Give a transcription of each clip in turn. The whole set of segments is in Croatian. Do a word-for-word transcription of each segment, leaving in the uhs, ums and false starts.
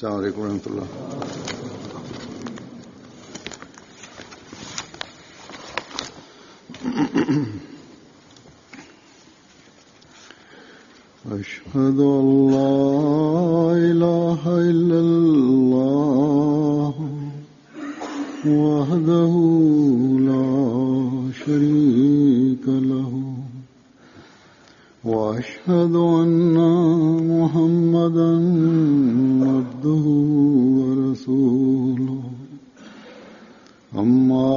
अस्सलाम वालेकुम रहमतुल्लाह। अशहदु अल्ला इलाहा इल्लल्लाह वहदहु ला शरीका लहु व अशहदु अन्ना मुहम्मदन अब्दुहु व रसूलुहु अम्मा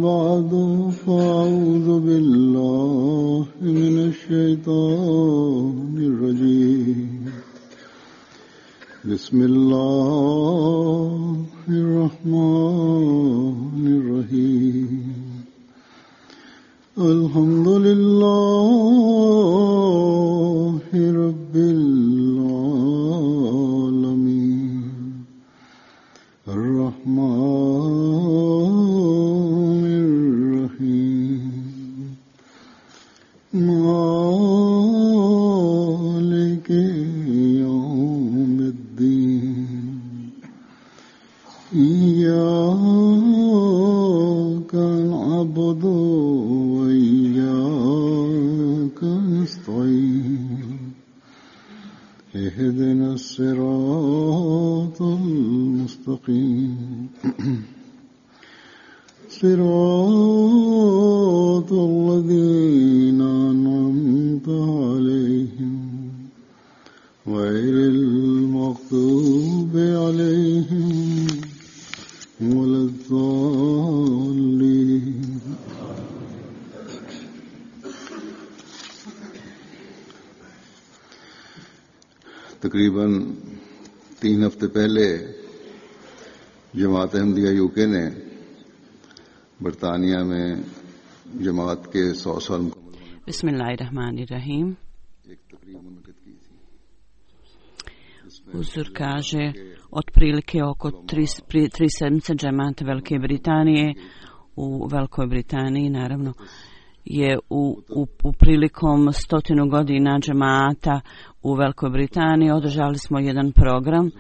बअदु फ़अऊज़ु बिल्लाहि मिनश शैतानिर रजीम। बिस्मिल्लाहिर रहमानिर रहीम। अल्हम्दुलिल्लाहि रब्बिल आलमीन अर्रहमानिर रहीम मालिकि यौमिद्दीन इय्याका नअबुदु व इय्याका नस्तईन इहदिनस सिरातल मुस्तकीम सिरातल लज़ीना अनअमता अलैहिम गैरिल मग़दूबि अलैहिम वलद्दाल्लीन। तकरीबन तीन हफ्ते पहले जमात अहमदिया यूके ने बरतानिया में जमात के सौ साल मुकम्मल Bismillahirrahmanirrahim. एक तकरीब मुनक़िद की थी। Uzur kaže otprilike oko tri, pri, tri sedmice džemata Velike Britanije u Velikoj Britaniji naravno je u, u, u prilikom stotinu godina džemata u Velikoj Britaniji održali smo jedan program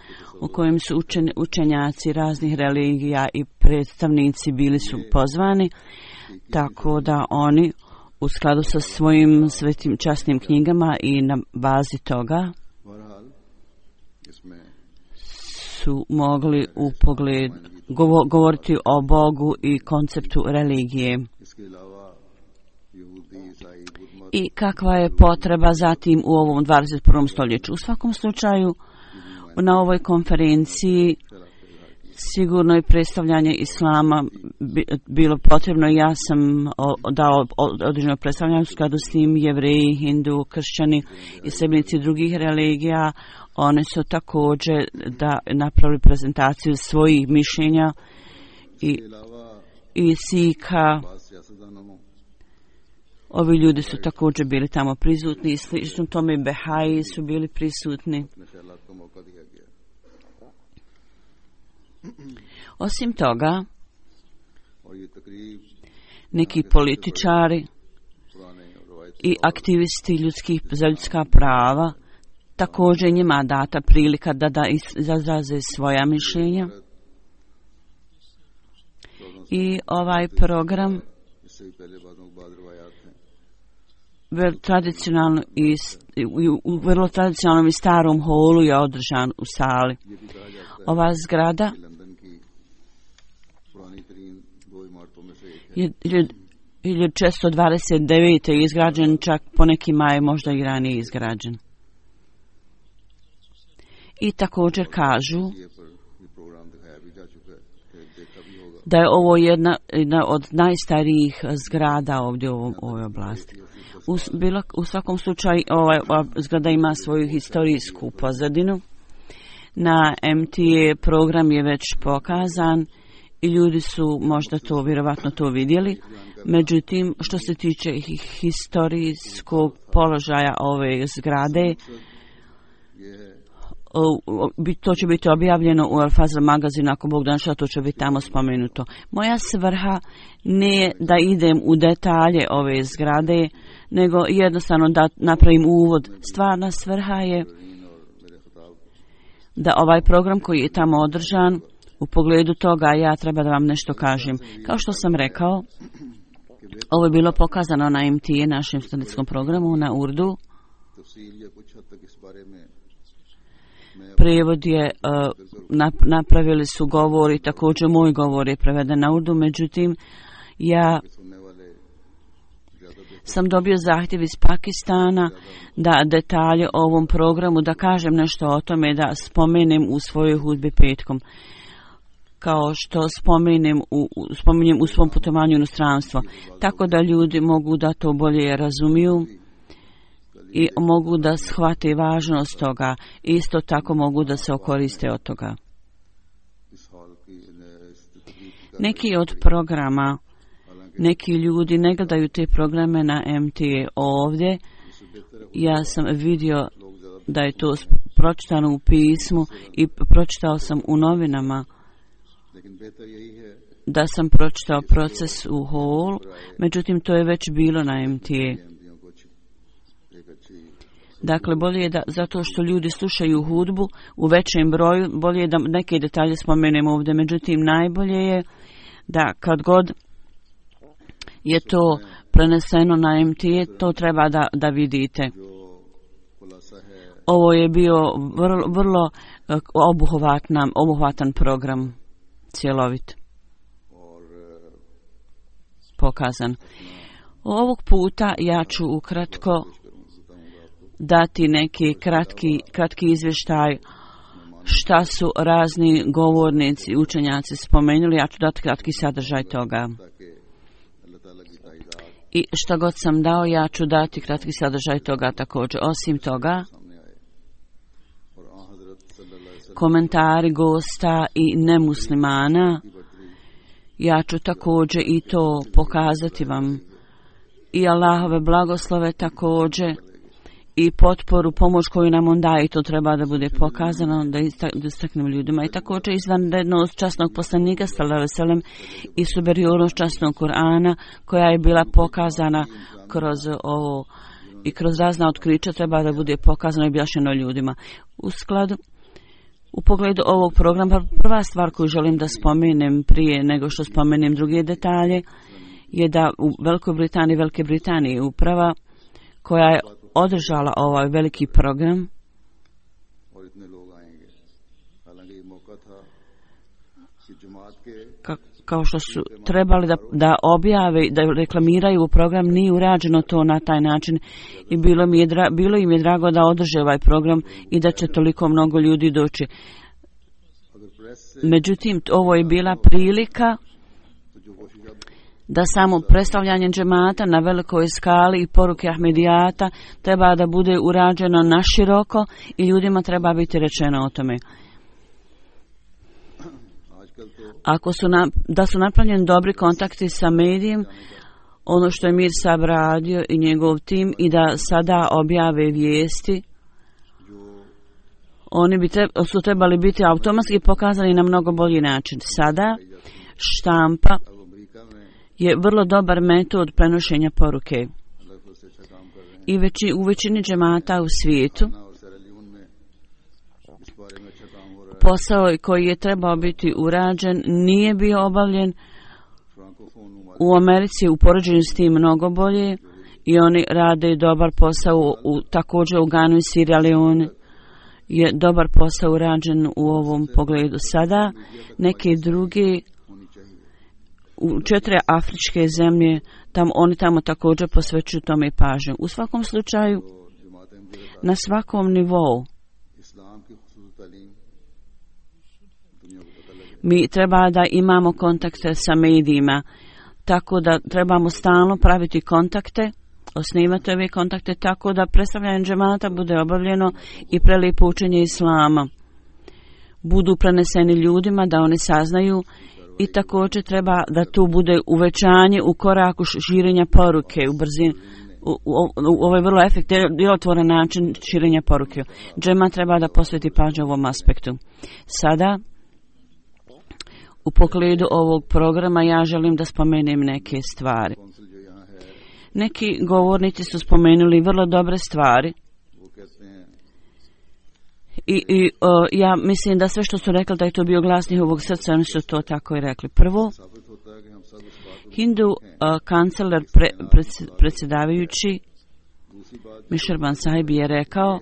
u kojem su učen, učenjaci raznih religija i predstavnici bili su pozvani, tako da oni u skladu sa svojim svetim časnim knjigama i na bazi toga su mogli u pogled govo, govoriti o Bogu i konceptu religije i kakva je potreba zatim u ovom dvadeset prvom stoljeću. U svakom slučaju na ovoj konferenciji sigurno je predstavljanje islama bilo potrebno. Ja sam dao određeno predstavljanje u skladu s tim. Jevreji, Hindu, kršćani i sljedbenici drugih religija, oni su također da napravili prezentaciju svojih mišljenja i, i Sika. Ovi ljudi su također bili tamo prisutni i slično tome Behaji su bili prisutni. Osim toga, neki političari i aktivisti ljudskih, za ljudska prava također njima data prilika da, da izraze svoja mišljenja. I ovaj program vrlo tradicionalno i u vrlo tradicionalnom i starom holu je održan u sali. Ova zgrada je hiljadu četiristo dvadeset devet. je izgrađen, čak po nekima je možda i ranije izgrađen. I također kažu da je ovo jedna, jedna od najstarijih zgrada ovdje u ovoj oblasti. U, bilo, u svakom slučaju ova, ova zgrada ima svoju historijsku pozadinu. Na M T A program je već pokazan i ljudi su možda to vjerovatno to vidjeli. Međutim, što se tiče historijskog položaja ove zgrade, to će biti objavljeno u Al Fazl magazinu, ako Bog da, to će biti tamo spomenuto. Moja svrha nije da idem u detalje ove zgrade, nego jednostavno da napravim uvod. Stvarna svrha je da ovaj program koji je tamo održan, u pogledu toga ja treba da vam nešto kažem. Kao što sam rekao, ovo je bilo pokazano na M T A, našem studentskom programu, na Urdu. Prijevod je, uh, napravili su govor i također moj govor je preveden na Urdu, međutim, ja sam dobio zahtjev iz Pakistana da detalje o ovom programu, da kažem nešto o tome, da spomenem u svojoj hudbi petkom, kao što spomenem u, spominjem u svom putovanju u inostranstvo, tako da ljudi mogu da to bolje razumiju i mogu da shvate važnost toga, isto tako mogu da se okoriste od toga. Neki od programa, neki ljudi ne gledaju te programe na M T A ovdje. Ja sam vidio da je to pročitano u pismu i pročitao sam u novinama da sam pročitao proces u Hall, međutim to je već bilo na M T A. Dakle, bolje je da, zato što ljudi slušaju hudbu u većem broju, bolje je da neke detalje spomenemo ovdje, međutim najbolje je da kad god je to preneseno na M T A, to treba da, da vidite. Ovo je bio vrlo, vrlo obuhvatan, obuhvatan program, cjelovit, pokazan. Ovog puta ja ću ukratko dati neki kratki, kratki izvještaj šta su razni govornici, učenjaci spomenuli. Ja ću dati kratki sadržaj toga. I šta god sam dao, ja ću dati kratki sadržaj toga također. Osim toga, komentari gosta i nemuslimana, ja ću također i to pokazati vam. I Allahove blagoslove također i potporu, pomoć koju nam on daje, i to treba da bude pokazano, da istaknemo ljudima. I također izvanrednost časnog poslanika sallallahu alejhi ve sellem i superiornost časnog Kur'ana koja je bila pokazana kroz ovo i kroz razna otkrića treba da bude pokazano i objašnjeno ljudima. U skladu U pogledu ovog programa, prva stvar koju želim da spomenem prije nego što spomenem druge detalje je da u Velikoj Britaniji, Velike Britanije uprava koja je održala ovaj veliki program ka, kao što su trebali da, da objave, da reklamiraju u program, nije urađeno to na taj način i bilo, mi je dra, bilo im je drago da održe ovaj program i da će toliko mnogo ljudi doći. Međutim, ovo je bila prilika da samo predstavljanje džemata na velikoj skali i poruke Ahmedijata treba da bude urađeno naširoko i ljudima treba biti rečeno o tome. Ako su na, da su napravljeni dobri kontakti sa medijem, ono što je Mir Sab radio i njegov tim, i da sada objave vijesti, oni bi treba, su trebali biti automatski pokazani na mnogo bolji način. Sada štampa je vrlo dobar metod prenošenja poruke. I veći, u većini džemata u svijetu posao koji je trebao biti urađen nije bio obavljen. U Americi u poređenju s tim mnogo bolje i oni rade dobar posao u, također u Ganu i Sierra Leone je dobar posao urađen u ovom pogledu. Sada neke druge u četiri afričke zemlje, tam, oni tamo također posvećuju tome pažnju. U svakom slučaju, na svakom nivou, mi treba da imamo kontakte sa medijima, tako da trebamo stalno praviti kontakte, osnivati ove kontakte tako da predstavljanje džemata bude obavljeno i prelijepo učenje islama budu preneseni ljudima da oni saznaju i također treba da tu bude uvećanje u koraku širenja poruke u brzini. U, u, u, ovo je vrlo efektivan, djelotvoran način širenja poruke. Džema treba da posveti pažnju ovom aspektu. Sada, u pogledu ovog programa, ja želim da spomenem neke stvari. Neki govornici su spomenuli vrlo dobre stvari I, i o, ja mislim da sve što su rekli da je to bio glas njihovog srca, oni su to tako i rekli. Prvo, Hindu uh, kancelar pre, predsjedavajući Mišerban Sahib je rekao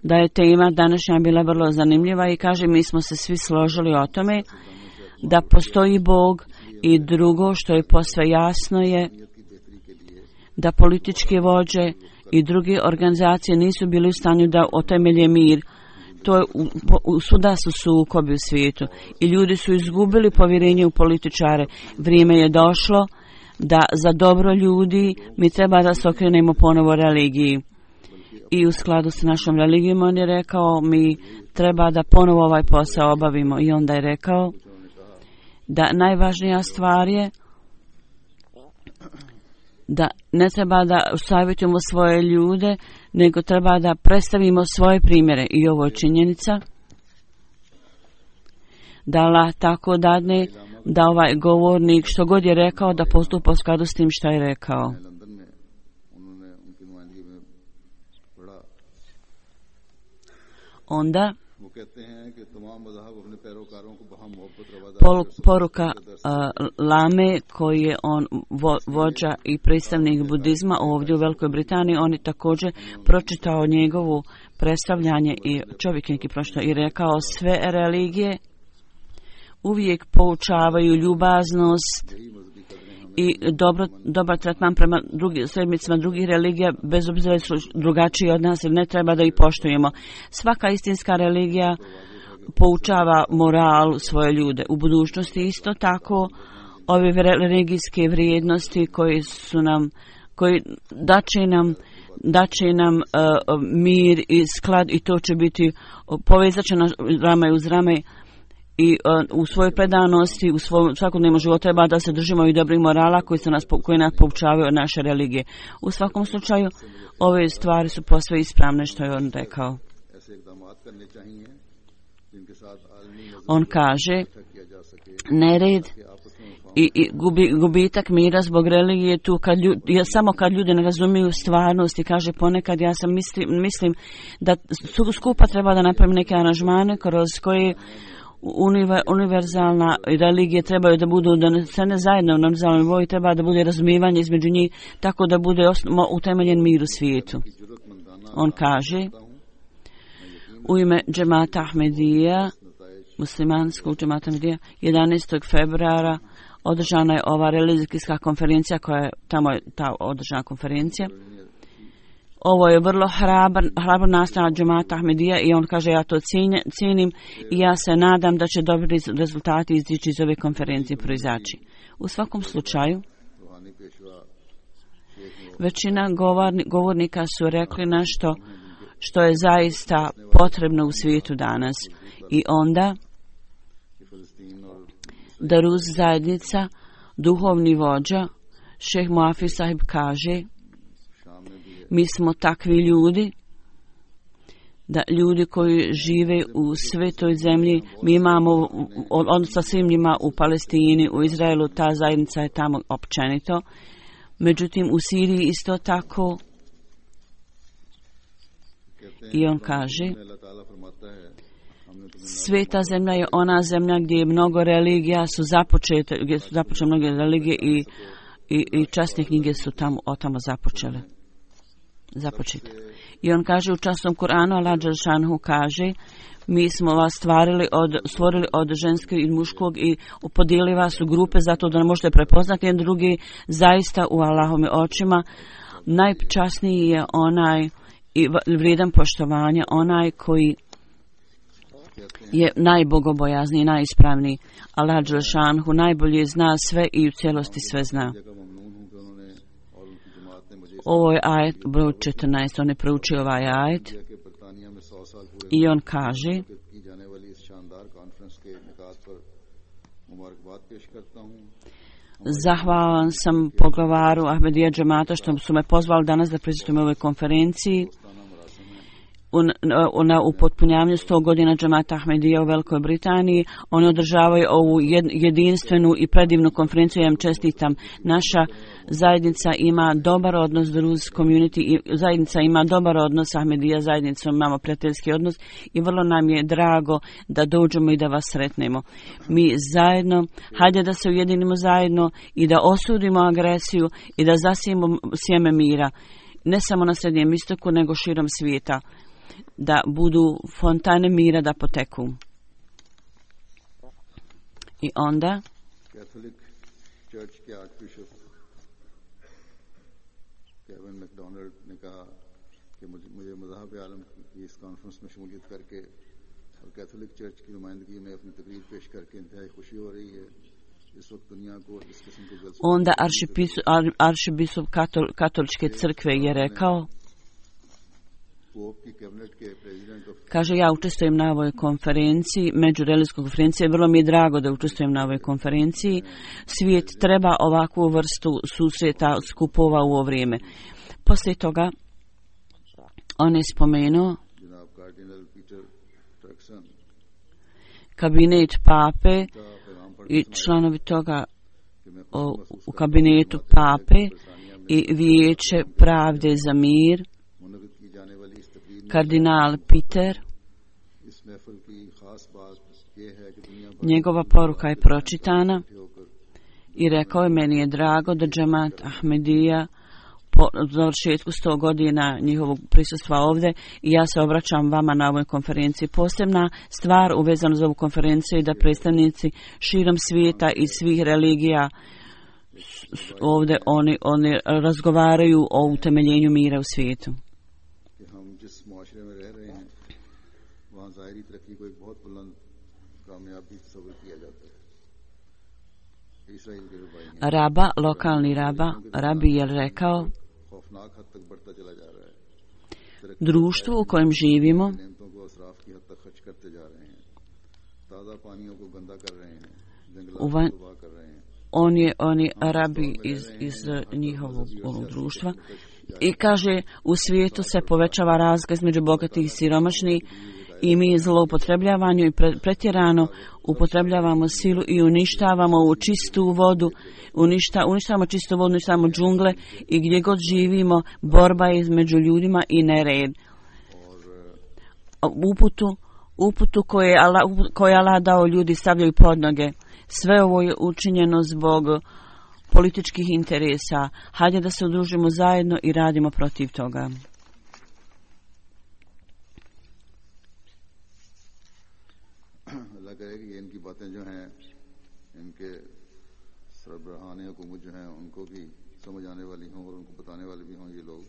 da je tema današnja bila vrlo zanimljiva i kaže mi smo se svi složili o tome da postoji Bog i drugo što je posve jasno je da političke vođe i druge organizacije nisu bili u stanju da otemelje mir. To je u, u, svuda su sukobi u svijetu i ljudi su izgubili povjerenje u političare. Vrijeme je došlo da za dobro ljudi mi treba da se okrenemo ponovo religiji. I u skladu s našom religijom on je rekao mi treba da ponovo ovaj posao obavimo. I onda je rekao da najvažnija stvar je da ne treba da savjetujemo svoje ljude, nego treba da predstavimo svoje primjere. I ovo je činjenica da Allah tako dadne da ovaj govornik što god je rekao da postupa u skladu s tim što je rekao. Onda poruka uh, Lame koji je on vo, vođa i predstavnik budizma ovdje u Velikoj Britaniji, on je također pročitao njegovu predstavljanje i čovjek neki pročitao i rekao sve religije uvijek poučavaju ljubaznost i dobro, dobar tretman prema drugi, sredbicima drugih religija, bez obzira su drugačiji od nas ili ne treba da ih poštujemo. Svaka istinska religija poučava moral svoje ljude. U budućnosti isto tako ove religijske vrijednosti koji su nam, koji daće nam, daće nam uh, mir i sklad i to će biti povezačeno rame uz rame. I uh, u svojoj predanosti, u svojom svakodnevnom životu treba da se držimo i dobrih morala koji, se nas, koji nas poučavaju od naše religije. U svakom slučaju, ove stvari su posve ispravne što je on rekao. On kaže, nered i, i gubi, gubitak mira zbog religije tu kad ljudi, ja, samo kad ljudi ne razumiju stvarnost i kaže ponekad ja sam mislim, mislim da su skupa treba da napravim neke aranžmane kroz koje Univer, univerzalna religije trebaju da budu donesene zajedno na univerzalnom nivou i treba da bude razumijevanje između njih tako da bude osno, utemeljen mir u svijetu. On kaže u ime džemata Ahmedija, muslimanskog džemata Ahmedija, jedanaestog februara održana je ova religijska konferencija koja je tamo je ta održana konferencija. Ovo je vrlo hrabar, hrabar nastanak džemata Ahmedija i on kaže ja to cijenim, cijenim i ja se nadam da će dobri rezultati izići iz ove konferencije proizaći. U svakom slučaju, većina govorni, govornika su rekli nešto što je zaista potrebno u svijetu danas. I onda Daruz zajednica, duhovni vođa, šejh Muafi sahib kaže mi smo takvi ljudi, da ljudi koji žive u svetoj zemlji, mi imamo odnos sa svim njima u Palestini, u Izraelu, ta zajednica je tamo općenito. Međutim, u Siriji isto tako. I on kaže, sveta zemlja je ona zemlja gdje je mnogo religija, su započete, gdje su započete mnoge religije i, i, i časne knjige su tamo, o tamo započele. Započeti. I on kaže u časnom Kur'anu, Allah dželšanhu kaže, mi smo vas stvarili od, stvorili od ženskog i muškog i podijelili vas u grupe zato da ne možete prepoznati jedan drugi. Zaista u Allahovim očima najčasniji je onaj i vrijedan poštovanja, onaj koji je najbogobojazniji, najispravniji. Allah dželšanhu najbolje zna sve i u cijelosti sve zna. Ovo je ajet broj četrnaest, on je proučio ovaj ajet i on kaže zahvalan sam poglavaru Ahmedija džemata što su me pozvali danas da prisustvujem ovoj konferenciji u, na upotpunjavanju sto godina džemata Ahmedija u Velikoj Britaniji. Oni održavaju ovu jedinstvenu i predivnu konferenciju. Ja im čestitam. Naša zajednica ima dobar odnos, Druze community, i zajednica ima dobar odnos sa Ahmedija zajednicom, imamo prijateljski odnos i vrlo nam je drago da dođemo i da vas sretnemo. Mi zajedno, hajde da se ujedinimo zajedno i da osudimo agresiju i da zasijemo sjeme mira, ne samo na Srednjem istoku, nego širom svijeta, da budu fontane mira da poteku. I onda Catholic Church के archbishop Kevin McDonald ने कहा कि मुझे मुझे मज़हब आलम की इस कॉन्फ्रेंस में शमूलियत करके और कैथोलिक चर्च की नुमाइंदगी में अपनी तकरीर पेश करके इंतहाई खुशी हो रही है. इस वक्त दुनिया को इस किस्म के जलसे onda aršibiskup katoličke crkve je rekao, kaže, ja učestvujem na ovoj konferenciji, međureligijskoj konferenciji, vrlo mi je drago da učestvujem na ovoj konferenciji. Svijet treba ovakvu vrstu susreta, skupova u ovo vrijeme. Poslije toga on je spomenuo kabinet pape i članovi toga o, u kabinetu pape i vijeće pravde za mir, kardinal Peter. Njegova poruka je pročitana i rekao je, meni je drago da džemat Ahmedija po završetku sto godina njihovog prisustva ovdje i ja se obraćam vama na ovoj konferenciji. Posebna stvar uvezana za ovu konferenciju je da predstavnici širom svijeta i svih religija ovdje oni, oni razgovaraju o utemeljenju mira u svijetu. Raba, lokalni raba, rabi je rekao, društvo u kojem živimo uvan, on je, on je rabi iz, iz njihovog društva i kaže, u svijetu se povećava razlika između bogatih i siromašnih i mi zloupotrebljavamo i pretjerano upotrebljavamo silu i uništavamo u čistu vodu, uništa, uništavamo čistu vodu, uništavamo džungle i gdje god živimo borba je između ljudima i nered. Uputu, uputu koje je Allah, koje je Allah dao ljudi stavljaju pod noge. Sve ovo je učinjeno zbog političkih interesa. Hajde da se udružimo zajedno i radimo protiv toga. बातें जो हैं इनके सरबराहान हुकूमत जो हैं उनको भी समझ आने वाली हों और उनको बताने वाले भी हों ये लोग.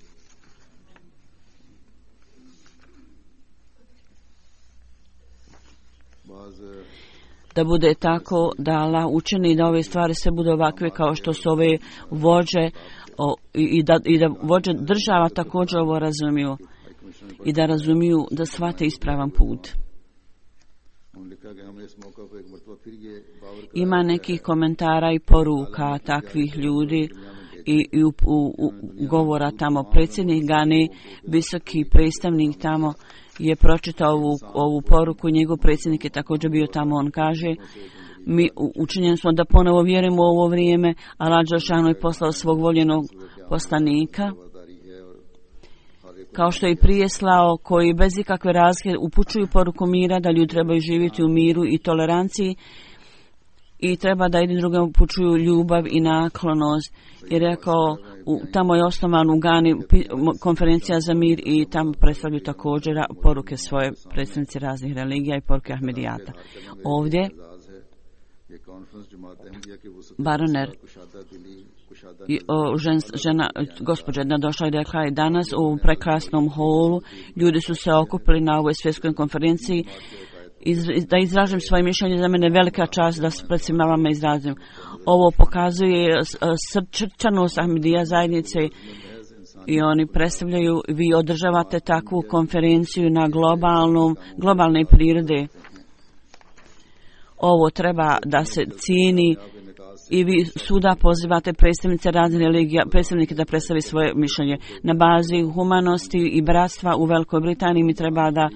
Da bude tako da Allah učini da ove stvari sve budu ovakve kao što su ove vođe o, i, da, i da vođe država također ovo razumiju i da razumiju da shvate ispravan put. Ima nekih komentara i poruka takvih ljudi i, i u, u, u govora tamo. Predsjednik Gani, visoki predstavnik tamo, je pročitao ovu, ovu poruku i njegov predsjednik je također bio tamo. On kaže, mi učinjeni smo da ponovo vjerujemo u ovo vrijeme, Allah dželešanu je poslao svog voljenog poslanika, kao što je i prije slao, koji bez ikakve razlike upućuju poruku mira, da ljudi trebaju živjeti u miru i toleranciji i treba da jedni drugim upućuju ljubav i naklonost. I rekao, u, tamo je osnovan u Gani konferencija za mir i tamo predstavljaju također poruke svoje predstavnici raznih religija i poruke Ahmedijata. Ovdje Baroner I, o, žen, žena, gospođa jedna došla i rekla je, danas u prekrasnom holu ljudi su se okupili na ovoj svjetskoj konferenciji iz, da izražim svoje mišljenje, za mene velika čast da pred svima vama izrazim. Ovo pokazuje srčanost Ahmedija zajednice i oni predstavljaju, vi održavate takvu konferenciju na globalnom, globalne prirode. Ovo treba da se cijeni i vi suda pozivate predstavnice raznih religija, predstavnike da predstavi svoje mišljenje. Na bazi humanosti i bratstva u Velikoj Britaniji mi treba da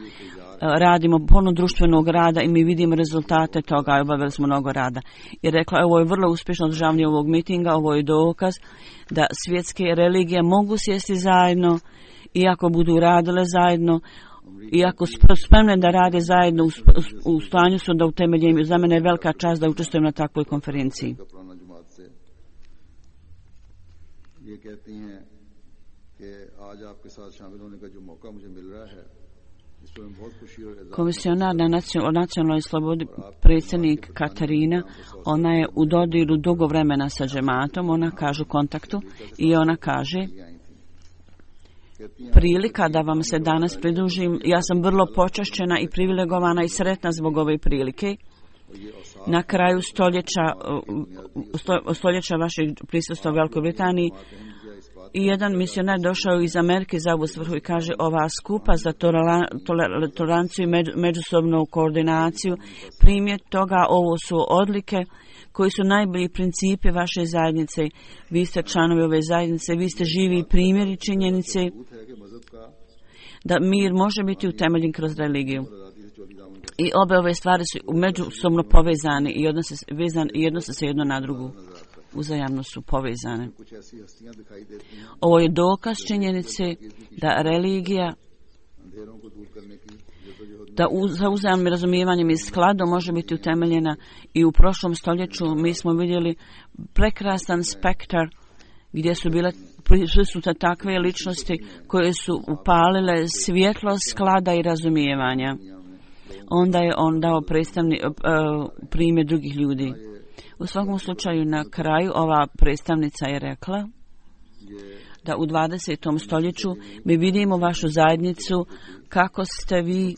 radimo puno društvenog rada i mi vidimo rezultate toga i obavili smo mnogo rada. I rekla, ovo je vrlo uspješno održavanje ovog mitinga, ovo je dokaz da svjetske religije mogu sjesti zajedno i ako budu radile zajedno, i ako spremne da rade zajedno, u stanju su da utemeljem. Za mene je velika čast da učestvujem na takvoj konferenciji. Komisionar na nacionalnoj slobodi, predsjednik Katarina, ona je u dodiru dugo vremena sa džematom, ona kaže u kontaktu i ona kaže, prilika da vam se danas pridružim, ja sam vrlo počašćena i privilegovana i sretna zbog ove prilike. Na kraju stoljeća, stoljeća vašeg prisustva u Velikoj Britaniji i jedan misionar došao iz Amerike za ovu svrhu i kaže, ova skupa za toleranciju i međusobnu koordinaciju, primjer toga, ovo su odlike koji su najbolji principi vaše zajednice. Vi ste članovi ove zajednice, vi ste živi primjeri činjenice da mir može biti utemeljen kroz religiju. I obe ove stvari su međusobno povezane i odnose, vezan, i odnose se jedno na drugu. Uzajamno su povezane. Ovo je dokaz činjenice da religija, da za uzajamnim razumijevanjem i skladom može biti utemeljena i u prošlom stoljeću mi smo vidjeli prekrasan spektar gdje su bile prisutne takve ličnosti koje su upalile svjetlo sklada i razumijevanja. Onda je on dao predstavni, uh, primjer drugih ljudi. U svakom slučaju na kraju ova predstavnica je rekla da u dvadesetom stoljeću mi vidimo vašu zajednicu kako ste vi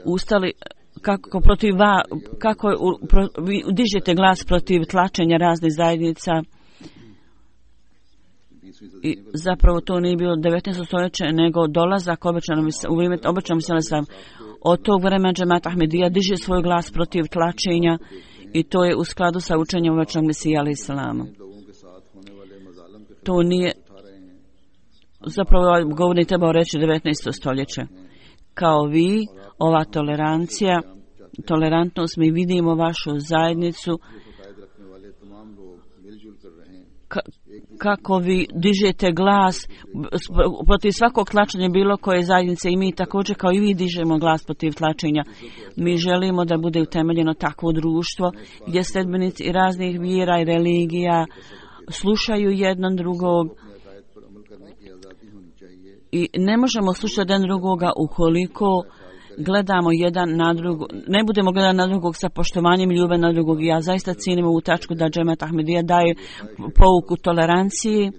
ustali, kako protiv va, kako pro, vi dižete glas protiv tlačenja raznih zajednica. I zapravo to nije bilo devetnaesto stoljeće, nego dolazak obećanom u vrijeme obećanom selesa. Od tog vremena džemat Ahmedija diže svoj glas protiv tlačenja i to je u skladu sa učenjem obećanog Mesija alejhi selama. To nije, zapravo govornik trebao reći devetnaesto stoljeće. Kao vi, ova tolerancija, tolerantnost, mi vidimo vašu zajednicu ka, kako vi dižete glas protiv svakog tlačenja bilo koje zajednice i mi također kao i vi dižemo glas protiv tlačenja. Mi želimo da bude utemeljeno takvo društvo gdje sledbenici i raznih vjera i religija slušaju jednog drugog i ne možemo slušati jedan drugoga ukoliko gledamo jedan na drugog, ne budemo gledati na drugog sa poštovanjem i ljubav na drugog. Ja zaista cijenim ovu tačku da džemat Ahmedija daje pouku toleranciji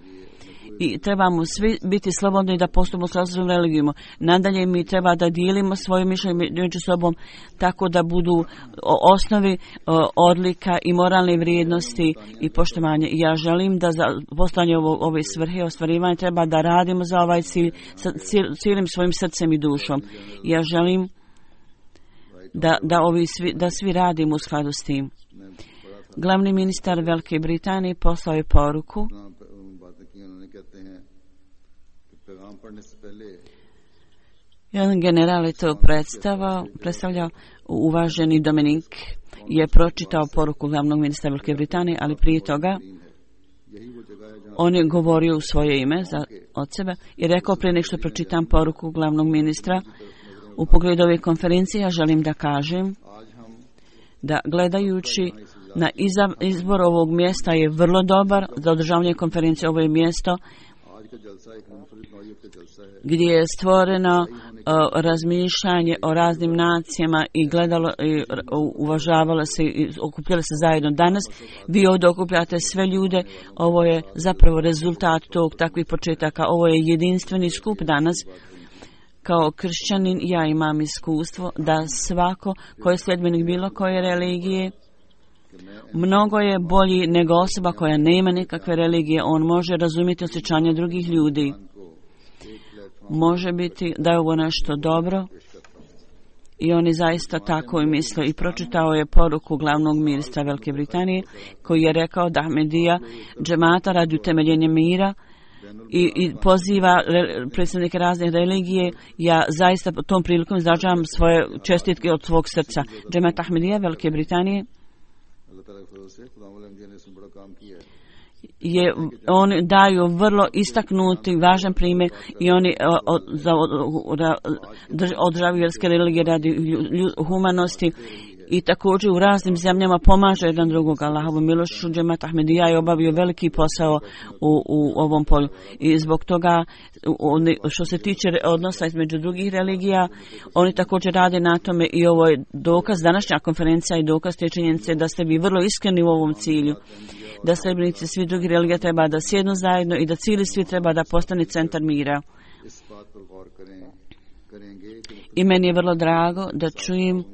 i trebamo svi biti slobodni da postupimo s različitom religijom. Nadalje mi treba da dijelimo svoje mišljenje među sobom tako da budu osnovi odlika i moralne vrijednosti i poštovanje. I ja želim da za postanje ove svrhe ostvarivanja treba da radimo za ovaj cilj sa cijelim svojim srcem i dušom. I ja želim da, da, ovi svi, da svi radimo u skladu s tim. Glavni ministar Velike Britanije poslao je poruku jedan general je to predstavao, predstavljao, uvaženi Dominik je pročitao poruku glavnog ministra Velike Britanije, ali prije toga on je govorio u svoje ime za, od sebe i rekao prije nek što pročitam poruku glavnog ministra u pogledu ove konferencije, ja želim da kažem da gledajući na izbor ovog mjesta je vrlo dobar za održavanje konferencije. Ovo je mjesto gdje je stvoreno uh, razmišljanje o raznim nacijama i gledalo i uvažavalo se i okupljalo se zajedno. Danas vi ovdje okupljate sve ljude, ovo je zapravo rezultat tog takvih početaka, ovo je jedinstveni skup danas. Kao kršćanin ja imam iskustvo da svako ko je sljedbenik bilo koje religije mnogo je bolji nego osoba koja nema nikakve religije. On može razumjeti osjećanje drugih ljudi. Može biti da je ovo nešto dobro I oni zaista tako i misle. I pročitao je poruku glavnog ministra Velike Britanije koji je rekao da Ahmedija džemata radi utemeljenja mira i, i poziva re, predstavnike raznih religije. Ja zaista tom prilikom izražavam svoje čestitke od svog srca. Džemat Ahmedija Velike Britanije je, oni daju vrlo istaknuti važan primjer i oni održavaju vjerske religije radi humanosti i također u raznim zemljama pomaže jedan drugog. Allahovom milošću Džemat Ahmedija je obavio veliki posao u, u ovom polju i zbog toga oni, što se tiče odnosa između drugih religija, oni također rade na tome i ovo je dokaz, današnja konferencija i dokaz te činjenice da ste vi vrlo iskreni u ovom cilju, da sljedbenici svi drugi religija treba da sjednu zajedno i da cijeli svijet treba da postane centar mira. I meni je vrlo drago da čujem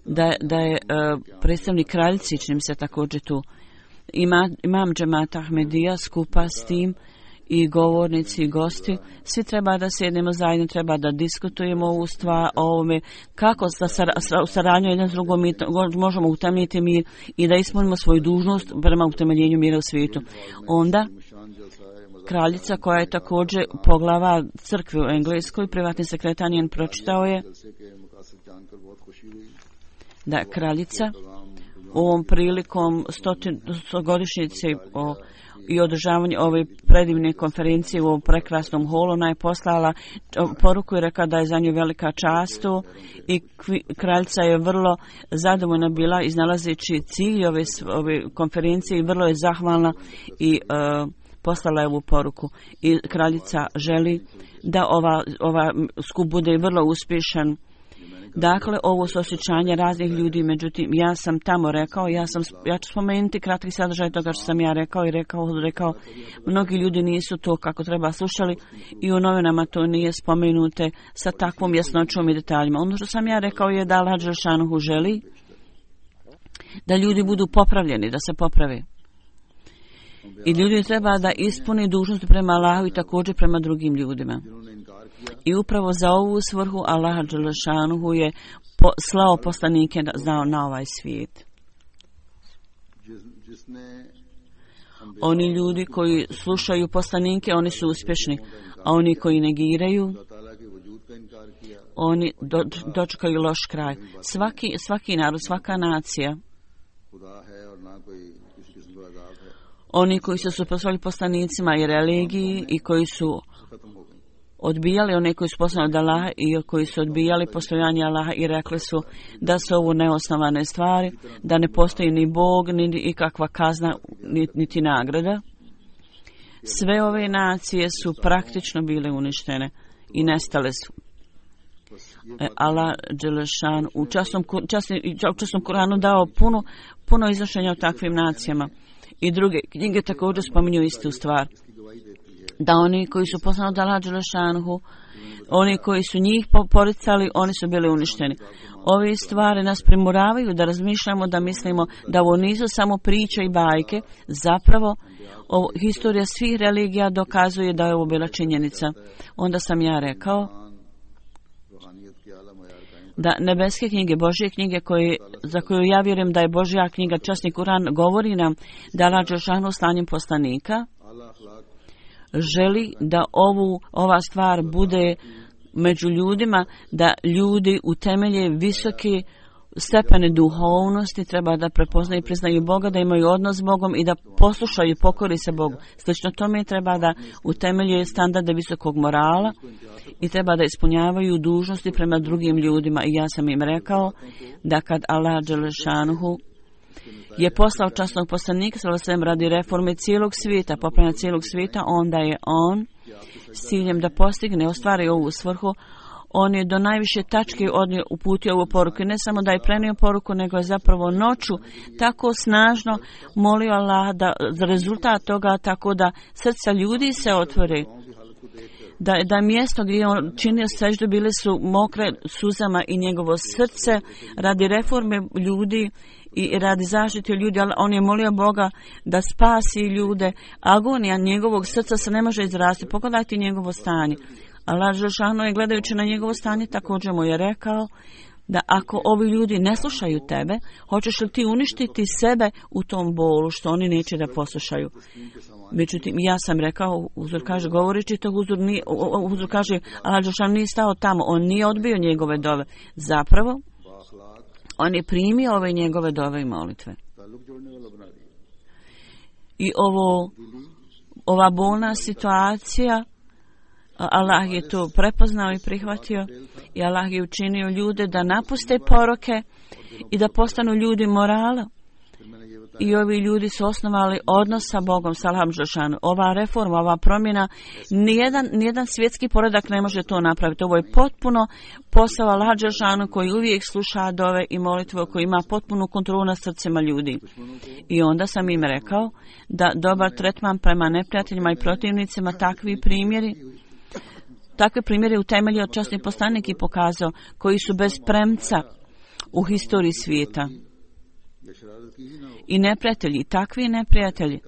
da, da je uh, predstavnik kraljici, čini mi se također tu. Ima, imam džemata Ahmedija skupa s tim i govornici i gosti. Svi treba da sjednemo zajedno, treba da diskutujemo ovu stvar, o ovome, kako sa, sa, sa saradnju jedan s drugom mi možemo utemeljiti mir i da ispunimo svoju dužnost prema utemeljenju mira u svijetu. Onda kraljica koja je također poglava crkve u Engleskoj, privatni sekretar njen pročitao je da kraljica ovom prilikom stogodišnjice o, i održavanje ove predivne konferencije u ovom prekrasnom holu ona je poslala poruku i rekla da je za nju velika čast i kraljica je vrlo zadovoljna bila iznalazeći cilj ove, ove konferencije i vrlo je zahvalna i uh, poslala je ovu poruku i kraljica želi da ova, ova skup bude vrlo uspješan. Dakle, ovo su osjećanje raznih ljudi, međutim, ja sam tamo rekao, ja, sam, ja ću spomenuti kratki sadržaj toga što sam ja rekao i rekao, rekao, mnogi ljudi nisu to kako treba slušali i u novinama to nije spomenute sa takvom jasnoćom i detaljima. Ono što sam ja rekao je da Allah Đelšanuhu želi da ljudi budu popravljeni, da se poprave. I ljudi treba da ispuni dužnost prema Allahu i također prema drugim ljudima. I upravo za ovu svrhu Allah Đelešanuhu je po, slao poslanike na, na ovaj svijet. Oni ljudi koji slušaju poslanike, oni su uspješni, a oni koji negiraju, oni do, dočekaju loš kraj. Svaki, svaki narod, svaka nacija, oni koji su suprotstavljali poslanicima i religiji i koji su odbijali one koji su poslani od Allaha i koji su odbijali postojanje Allaha i rekli su da su ovo neosnovane stvari, da ne postoji ni Bog, ni ikakva kazna, niti nagrada. Sve ove nacije su praktično bile uništene i nestale su. Allah Đelešan u časnom, časnom Kuranu dao puno, puno iznošenja o takvim nacijama. I druge knjige također spominju istu stvar. Da oni koji su poslani od Allaha Đelešanuhu, oni koji su njih poricali, oni su bili uništeni. Ove stvari nas primoravaju da razmišljamo, da mislimo da ovo nisu samo priče i bajke. Zapravo, ovo, historija svih religija dokazuje da je ovo bila činjenica. Onda sam ja rekao da nebeske knjige, Božje knjige koje, za koju ja vjerujem da je Božja knjiga, časni Kuran, govori nam da Allah Đelešanu slanjem poslanika želi da ovu, ova stvar bude među ljudima, da ljudi utemelje visoke stepene duhovnosti, treba da prepoznaju i priznaju Boga, da imaju odnos s Bogom i da poslušaju i pokori se Bogu. Slično tome treba da utemeljuje standarde visokog morala i treba da ispunjavaju dužnosti prema drugim ljudima. I ja sam im rekao da kad Allah Đelešanuhu je poslao časnog poslanika sallallahu radi reforme cijelog svijeta, popravljanja cijelog svijeta, onda je on s ciljem da postigne, ostvari ovu svrhu, on je do najviše tačke odnio, uputio ovu poruku. Ne samo da je prenio poruku, nego je zapravo noću tako snažno molio Allah da za rezultat toga, tako da srca ljudi se otvore. Da, da mjesto gdje on činio seždu bile su mokre suzama i njegovo srce radi reforme ljudi i radi zaštite ljudi, ali on je molio Boga da spasi ljude. Agonija njegovog srca se ne može izraziti. Pogledajte njegovo stanje. Allah Đelešanu je gledajući na njegovo stanje također mu je rekao da ako ovi ljudi ne slušaju tebe, hoćeš li ti uništiti sebe u tom bolu što oni neće da poslušaju. Međutim, ja sam rekao, Huzur kaže, govoreći to, Huzur, nije, Huzur kaže, Allah Đelešanu nije stao tamo, on nije odbio njegove dove. Zapravo, on je primio ove njegove dove i molitve. I ovo, ova bolna situacija, Allah je to prepoznao i prihvatio i Allah je učinio ljude da napuste poroke i da postanu ljudi morala. I ovi ljudi su osnovali odnos sa Bogom, sa Allahom Đelešanu. Ova reforma, ova promjena, nijedan, nijedan svjetski poredak ne može to napraviti. Ovo je potpuno posao Allaha Đelešanu koji uvijek sluša dove i molitve, koji ima potpunu kontrolu nad srcima ljudi. I onda sam im rekao da dobar tretman prema neprijateljima i protivnicima, takvi primjeri, takve primjere utemeljio časni poslanik i pokazao, koji su bez premca u historiji svijeta. I neprijatelji, takvi neprijatelji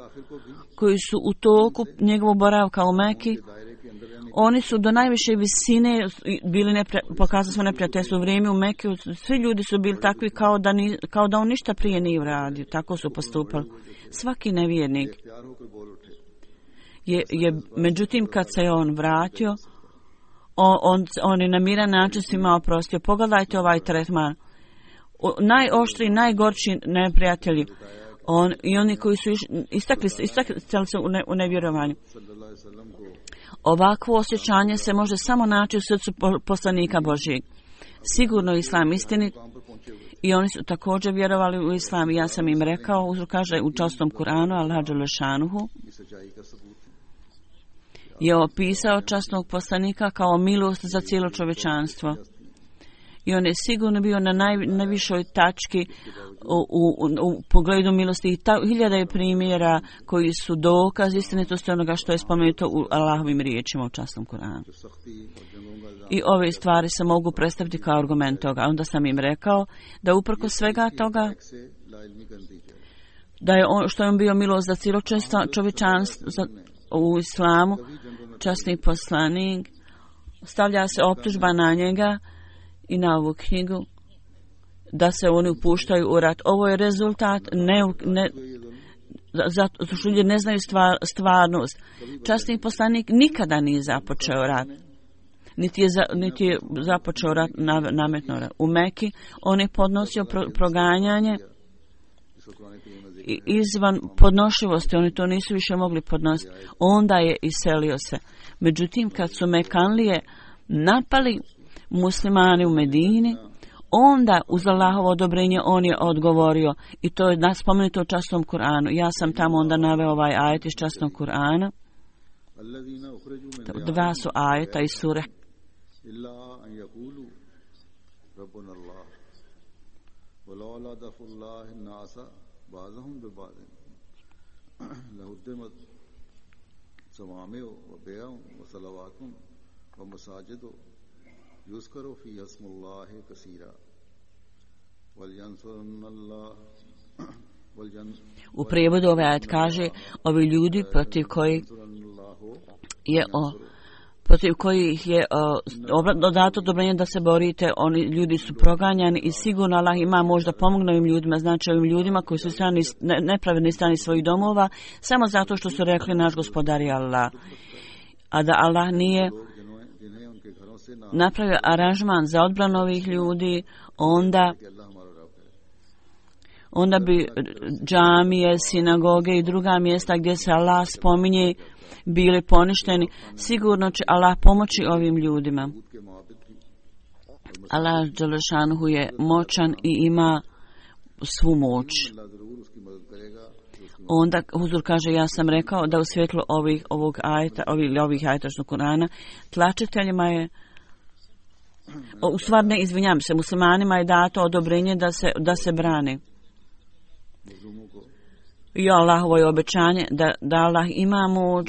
koji su u toku njegovog boravka u Meki, oni su do najviše visine bili nepri, pokazali smo neprijateljstvo u vrijeme u Meki, svi ljudi su bili takvi kao da, ni, kao da on ništa prije nije uradio, tako su postupali. Svaki nevjernik je, je, međutim kad se je on vratio, on, on, on je na miran način svima oprostio. Pogledajte ovaj tretman. Najoštriji, najgorči neprijatelji, on, i oni koji su iš, istakli, istakli se u, ne, u nevjerovanju. Ovakvo osjećanje se može samo naći u srcu poslanika Božijeg. Sigurno Islam istinit i oni su također vjerovali u Islam. Ja sam im rekao, Uzur kaže u častom Kur'anu, Allah Đelešanuhu je opisao časnog poslanika kao milost za cijelo čovječanstvo. I on je sigurno bio na naj, najvišoj tački u, u, u pogledu milosti. I ta, hiljada je primjera koji su dokaz istinitosti onoga što je spomenuto u Allahovim riječima u časnom Kur'anu. I ove stvari se mogu predstaviti kao argument toga. Onda sam im rekao da uprko svega toga, da je on, što je on bio milost za cijelo čovječanstvo u islamu, časni poslanik, stavlja se optužba na njega i na ovu knjigu da se oni upuštaju u rat. Ovo je rezultat ne, ne, zato što ljudi ne znaju stvar, stvarnost. Časni poslanik nikada nije započeo rat. Niti je, za, niti je započeo rat, nametno rat. U Meki on je podnosio pro, proganjanje i izvan podnošivosti. Oni to nisu više mogli podnositi. Onda je iselio se. Međutim, kad su Mekanlije napali muslimani u Medini, onda uz Allahovo odobrenje on je odgovorio i to je spomenuto u časnom Kur'anu. Ja sam tamo onda naveo ovaj ajet iz časnog Kur'ana. Dva su ajeta iz sure يذكر فيها اسم الله كثيرا ولينصرن الله. U prijevodu ovaj ajet kaže, ovi ljudi protiv kojih je o, protiv kojih je o, dato odobrenje da se borite, oni ljudi su proganjani i sigurno Allah ima možda pomogne ovim ljudima, znači ovim ljudima koji su strani, ne, nepravedni strani svojih domova, samo zato što su rekli naš gospodar je Allah. A da Allah nije napravio aranžman za odbranu ovih ljudi, onda onda bi džamije, sinagoge i druga mjesta gdje se Allah spominje bili poništeni. Sigurno će Allah pomoći ovim ljudima. Allah Đelešanuhu je moćan i ima svu moć. Onda Huzur kaže, ja sam rekao da u svjetlu ovih, ovog ajeta, ovih, ovih ajetačnog Kur'ana, tlačiteljima je, u stvar ne, izvinjam se, muslimanima je dato odobrenje da se, da se brane. I Allahovo je obećanje da, da Allah ima moć,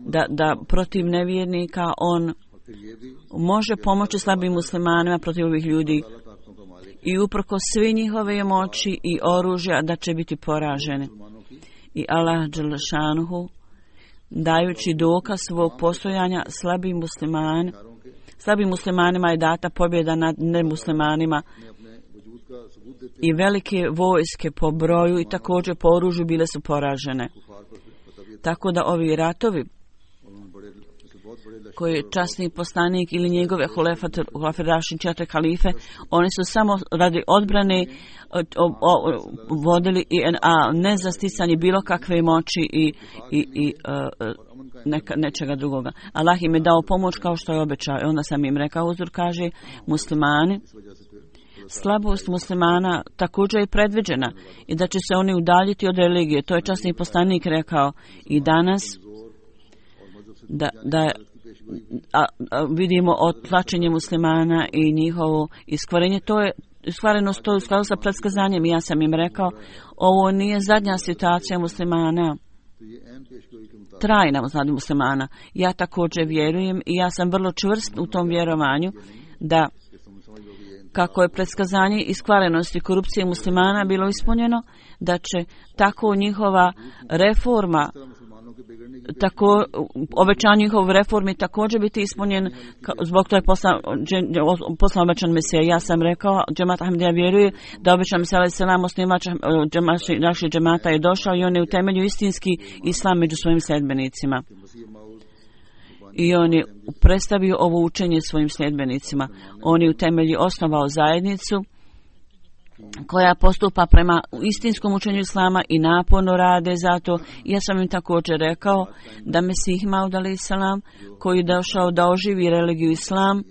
da, da protiv nevjernika on može pomoći slabim muslimanima protiv ovih ljudi. I uprko svi njihove moći i oružja da će biti poraženi. I Allah Đelešanuhu, dajući dokaz svog postojanja slabim muslimani, slabim muslimanima je data pobjeda nad nemuslimanima i velike vojske po broju i također po oružju bile su poražene. Tako da ovi ratovi koji je časni poslanik ili njegove huleferaši četiri halife, oni su samo radi odbrane o, o, vodili, i, a ne za sticanje bilo kakve moći i, i, i uh, neka, nečega drugoga. Allah im je dao pomoć kao što je obećao. I onda sam im rekao, Huzur kaže, muslimani, slabost muslimana također je predviđena i da će se oni udaljiti od religije. To je časni poslanik rekao i danas da, da a, a, vidimo otlačenje muslimana i njihovo iskvarenje. To je iskvarenost, to je u skladu sa predskazanjem. Ja sam im rekao, ovo nije zadnja situacija muslimana, trajna znači muslimana. Ja također vjerujem i ja sam vrlo čvrst u tom vjerovanju da kako je predskazanje iskvarenosti korupcije muslimana bilo ispunjeno, da će tako njihova reforma, tako obećanje njihove reformi također biti ispunjen, zbog to je poslan, poslan obećan Mesija. Ja sam rekao, džemat Ahmadija vjeruje da obećan Mesija alaih selam, osnivač naših džemata je došao i on je utemeljio istinski islam među svojim sljedbenicima. I on je predstavio ovo učenje svojim sljedbenicima. On je utemeljio, osnovao zajednicu koja postupa prema istinskom učenju islama i naporno rade zato. Ja sam im također rekao da Mesih Maud alaih salam, koji je došao da oživi religiju islam,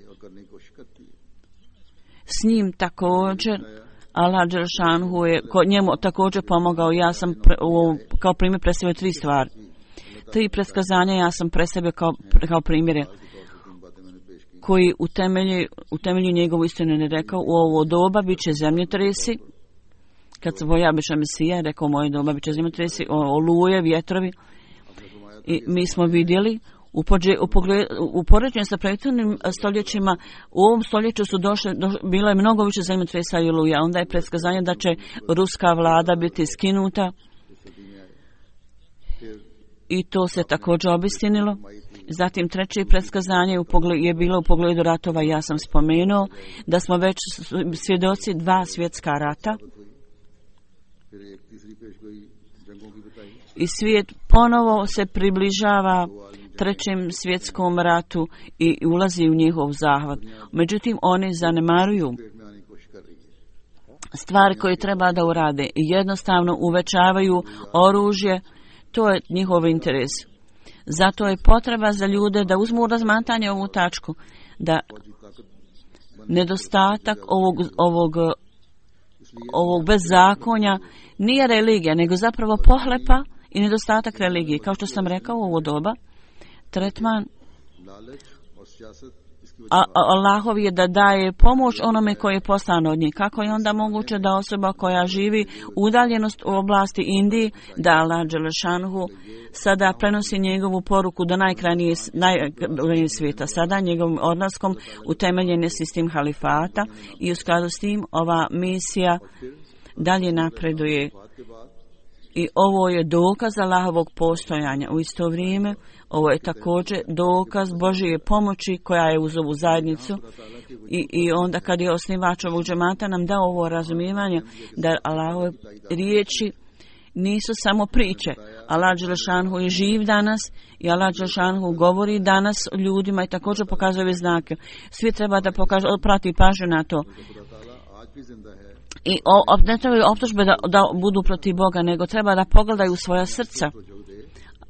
s njim također Allah dželšanhu je njemu također pomogao. Ja sam pre, u, kao primjer predstavio tri stvari. Tri predskazanja ja sam predstavio kao, kao primjere koji utemelji, utemelji njegovu istinu. Ne rekao, u ovo doba bit će zemljotresi. Kad se boja biće Mesija, rekao, u moje doba bit će zemljotresi, oluje, vjetrovi. I mi smo vidjeli, u, pođe, u, pogled, u poređenju sa prethodnim stoljećima, u ovom stoljeću su došle, do, bilo je mnogo više zemljotresa i oluja. Onda je predskazanje da će ruska vlada biti skinuta. I to se također obistinilo. Zatim treće predskazanje je bilo u pogledu ratova. Ja sam spomenuo da smo već svjedoci dva svjetska rata. I svijet ponovo se približava trećem svjetskom ratu i ulazi u njihov zahvat. Međutim, oni zanemaruju stvari koje treba da urade i jednostavno uvećavaju oružje. To je njihov interes. Zato je potreba za ljude da uzmu razmatranje ovu tačku, da nedostatak ovog, ovog, ovog bezzakonja nije religija, nego zapravo pohlepa i nedostatak religije. Kao što sam rekao u ovo doba, tretman a Allahov je da daje pomoć onome koji je poslan od njih. Kako je onda moguće da osoba koja živi udaljenost u oblasti Indije, da Allah dželešanhu sada prenosi njegovu poruku do najkrajnije naj, svijeta. Sada njegovim odlaskom utemeljen je sistem halifata i u skladu s tim ova misija dalje napreduje. I ovo je dokaz Allahovog postojanja. U isto vrijeme ovo je također dokaz Božije pomoći koja je uz ovu zajednicu. I, i onda kad je osnivač ovog džemata nam dao ovo razumijevanje da Allahove riječi nisu samo priče. Allah dželešanhu je živ danas i Allah dželešanhu govori danas ljudima i također pokazuje ove znake. Svi treba da pokaže, prati pažnju na to. I o, ne trebaju optužbe da, da budu protiv Boga, nego treba da pogledaju svoja srca.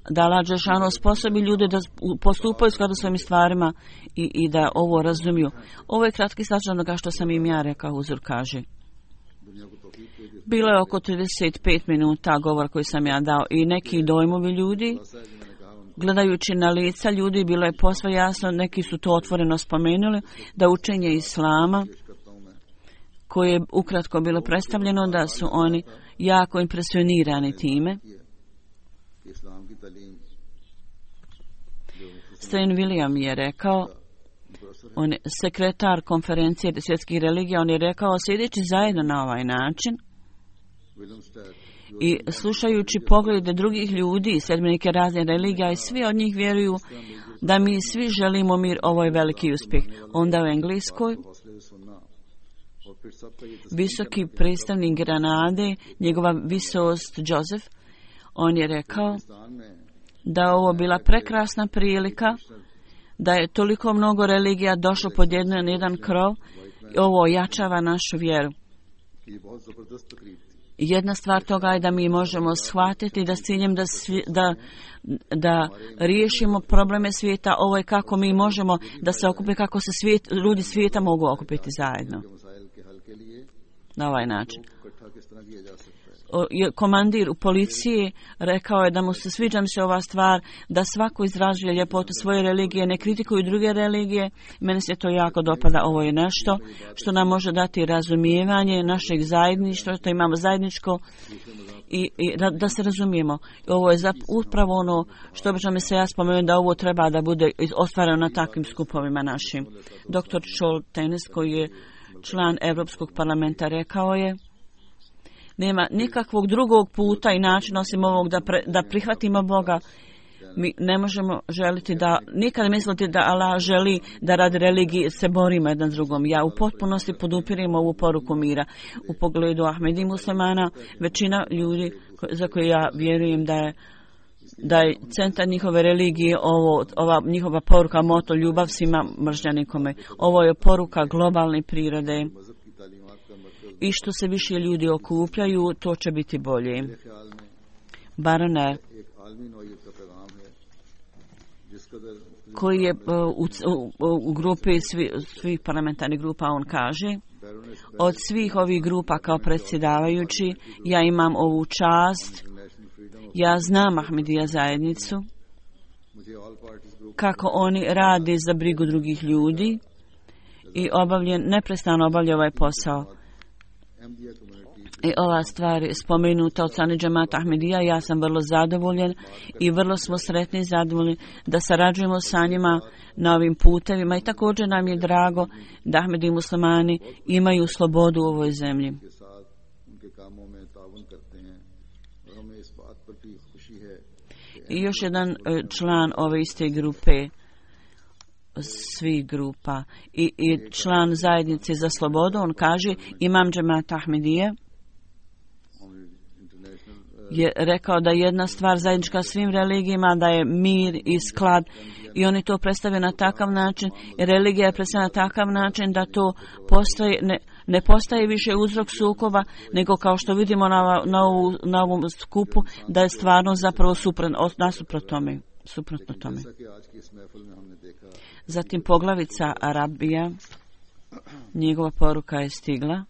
Da Allah dželešanu sposobi ljude da postupaju skladu svojim stvarima i, i da ovo razumiju. Ovo je kratki slađan onoga što sam im ja rekao, Huzur kaže. Bilo je oko trideset pet minuta govor koji sam ja dao i neki dojmovi ljudi. Gledajući na lica ljudi bilo je posve jasno, neki su to otvoreno spomenuli, da učenje Islama koje je ukratko bilo predstavljeno, da su oni jako impresionirani time. Stan William je rekao, on je sekretar konferencije svjetskih religija, on je rekao, sjedeći zajedno na ovaj način I slušajući poglede drugih ljudi, sljedbenike raznih religija, i svi od njih vjeruju da mi svi želimo mir, ovo je veliki uspjeh. Onda u Engleskoj visoki predstavnik Granade, njegova visost Joseph, on je rekao da je ovo bila prekrasna prilika, da je toliko mnogo religija došlo pod jedan, jedan krov i ovo ojačava našu vjeru. Jedna stvar toga je da mi možemo shvatiti da s ciljem da, svi, da, da riješimo probleme svijeta, ovo je kako mi možemo da se okupi, kako se svijet, ljudi svijeta mogu okupiti zajedno. Na ovaj način. Komandir u policiji rekao je da mu se sviđa mi se ova stvar, da svako izražuje ljepotu svoje religije, ne kritikuju druge religije. Meni se to jako dopada. Ovo je nešto što nam može dati razumijevanje našeg zajedništva, što imamo zajedničko i, i da, da se razumijemo. Ovo je zap, upravo ono što obično mi se ja spomenuo, da ovo treba da bude ostvareno na takvim skupovima našim. Doktor Scholtenes, koji je član Europskog parlamenta, rekao je: nema nikakvog drugog puta i načina osim ovog da, pre, da prihvatimo Boga. Mi ne možemo želiti da, nikada misliti da Allah želi da radi religije se borimo jedan s drugom. Ja u potpunosti podupirem ovu poruku mira. U pogledu Ahmedi muslimana, većina ljudi za koje ja vjerujem da je da je centar njihove religije ovo, ova njihova poruka, moto ljubav svima, mržnja nikome. Ovo je poruka globalne prirode. I što se više ljudi okupljaju, to će biti bolje. Barone, koji je u, u, u grupi svi, svih parlamentarnih grupa, on kaže: od svih ovih grupa kao predsjedavajući, ja imam ovu čast, ja znam Ahmedija zajednicu, kako oni rade za brigu drugih ljudi i obavljen, neprestano obavlja ovaj posao. I ova stvar je spomenuta od strane džemata Ahmedija. Ja sam vrlo zadovoljen i vrlo smo sretni i zadovoljni da sarađujemo sa njima na ovim putevima i također nam je drago da Ahmedi i muslimani imaju slobodu u ovoj zemlji. I još jedan član ove iste grupe, svih grupa i, i član zajednice za slobodu, on kaže: imam džemata Ahmedije je rekao da jedna stvar zajednička svim religijama, da je mir i sklad, i oni to predstavljaju na takav način, i religija je predstavljena na takav način da to postoji, ne, ne postaje više uzrok sukoba, nego kao što vidimo na, na, ovu, na ovom skupu, da je stvarno zapravo suprotno, nasuprot tome, suprotno tome. Zatim poglavica Arabija, njegova poruka je stigla.